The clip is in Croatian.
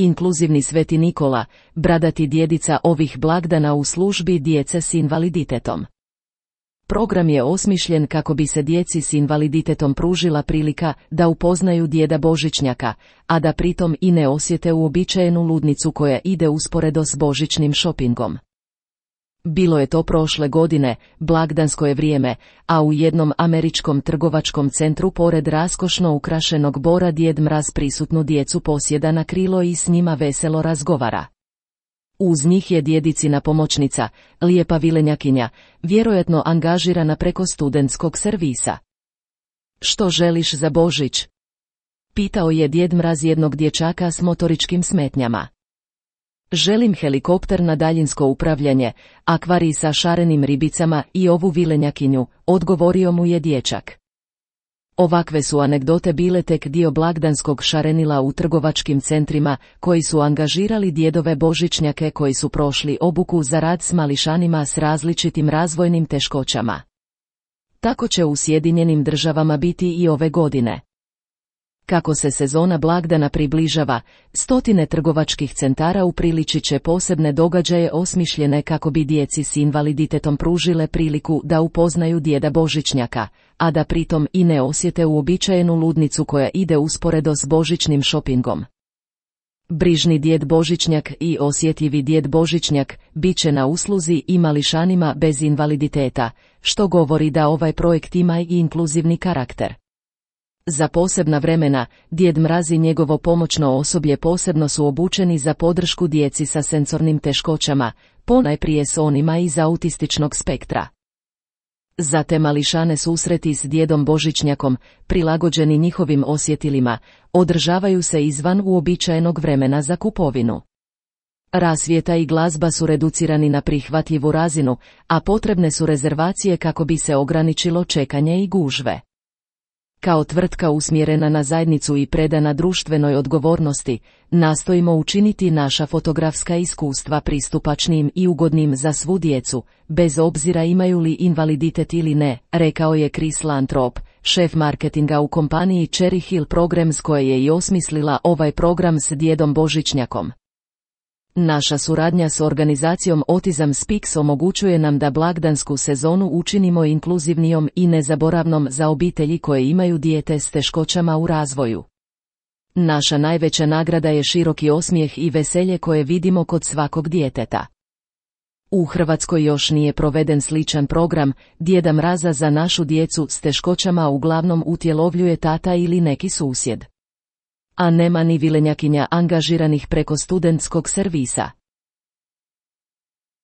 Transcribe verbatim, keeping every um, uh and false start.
Inkluzivni Sveti Nikola, bradati djedica ovih blagdana u službi djece s invaliditetom. Program je osmišljen kako bi se djeci s invaliditetom pružila prilika da upoznaju djeda Božićnjaka, a da pritom i ne osjete uobičajenu ludnicu koja ide usporedo s božićnim šopingom. Bilo je to prošle godine, blagdansko je vrijeme, a u jednom američkom trgovačkom centru pored raskošno ukrašenog Bora Djed Mraz prisutnu djecu posjeda na krilo i s njima veselo razgovara. Uz njih je djedicina pomoćnica, lijepa vilenjakinja, vjerojatno angažirana preko studentskog servisa. Što želiš za Božić? Pitao je Djed Mraz jednog dječaka s motoričkim smetnjama. Želim helikopter na daljinsko upravljanje, akvarij sa šarenim ribicama i ovu vilenjakinju, odgovorio mu je dječak. Ovakve su anegdote bile tek dio blagdanskog šarenila u trgovačkim centrima, koji su angažirali djedove Božićnjake koji su prošli obuku za rad s mališanima s različitim razvojnim teškoćama. Tako će u Sjedinjenim Državama biti i ove godine. Kako se sezona blagdana približava, stotine trgovačkih centara upriličit će posebne događaje osmišljene kako bi djeci s invaliditetom pružile priliku da upoznaju djeda Božićnjaka, a da pritom i ne osjete uobičajenu ludnicu koja ide usporedo s božićnim šopingom. Brižni djed Božićnjak i osjetljivi djed Božićnjak bit će na usluzi i mališanima bez invaliditeta, što govori da ovaj projekt ima i inkluzivni karakter. Za posebna vremena, Djed Mraz i njegovo pomoćno osoblje posebno su obučeni za podršku djeci sa sensornim teškoćama, ponajprije s onima iz autističnog spektra. Za te mališane susreti s djedom Božićnjakom, prilagođeni njihovim osjetilima, održavaju se izvan uobičajenog vremena za kupovinu. Rasvjeta i glazba su reducirani na prihvatljivu razinu, a potrebne su rezervacije kako bi se ograničilo čekanje i gužve. Kao tvrtka usmjerena na zajednicu i predana društvenoj odgovornosti, nastojimo učiniti naša fotografska iskustva pristupačnijim i ugodnim za svu djecu, bez obzira imaju li invaliditet ili ne, rekao je Chris Lantrop, šef marketinga u kompaniji Cherry Hill Programs koja je i osmislila ovaj program s djedom Božićnjakom. Naša suradnja s organizacijom Autism Speaks omogućuje nam da blagdansku sezonu učinimo inkluzivnijom i nezaboravnom za obitelji koje imaju dijete s teškoćama u razvoju. Naša najveća nagrada je široki osmijeh i veselje koje vidimo kod svakog djeteta. U Hrvatskoj još nije proveden sličan program, Djeda Mraza za našu djecu s teškoćama uglavnom utjelovljuje tata ili neki susjed. A nema ni vilenjakinja angažiranih preko studentskog servisa.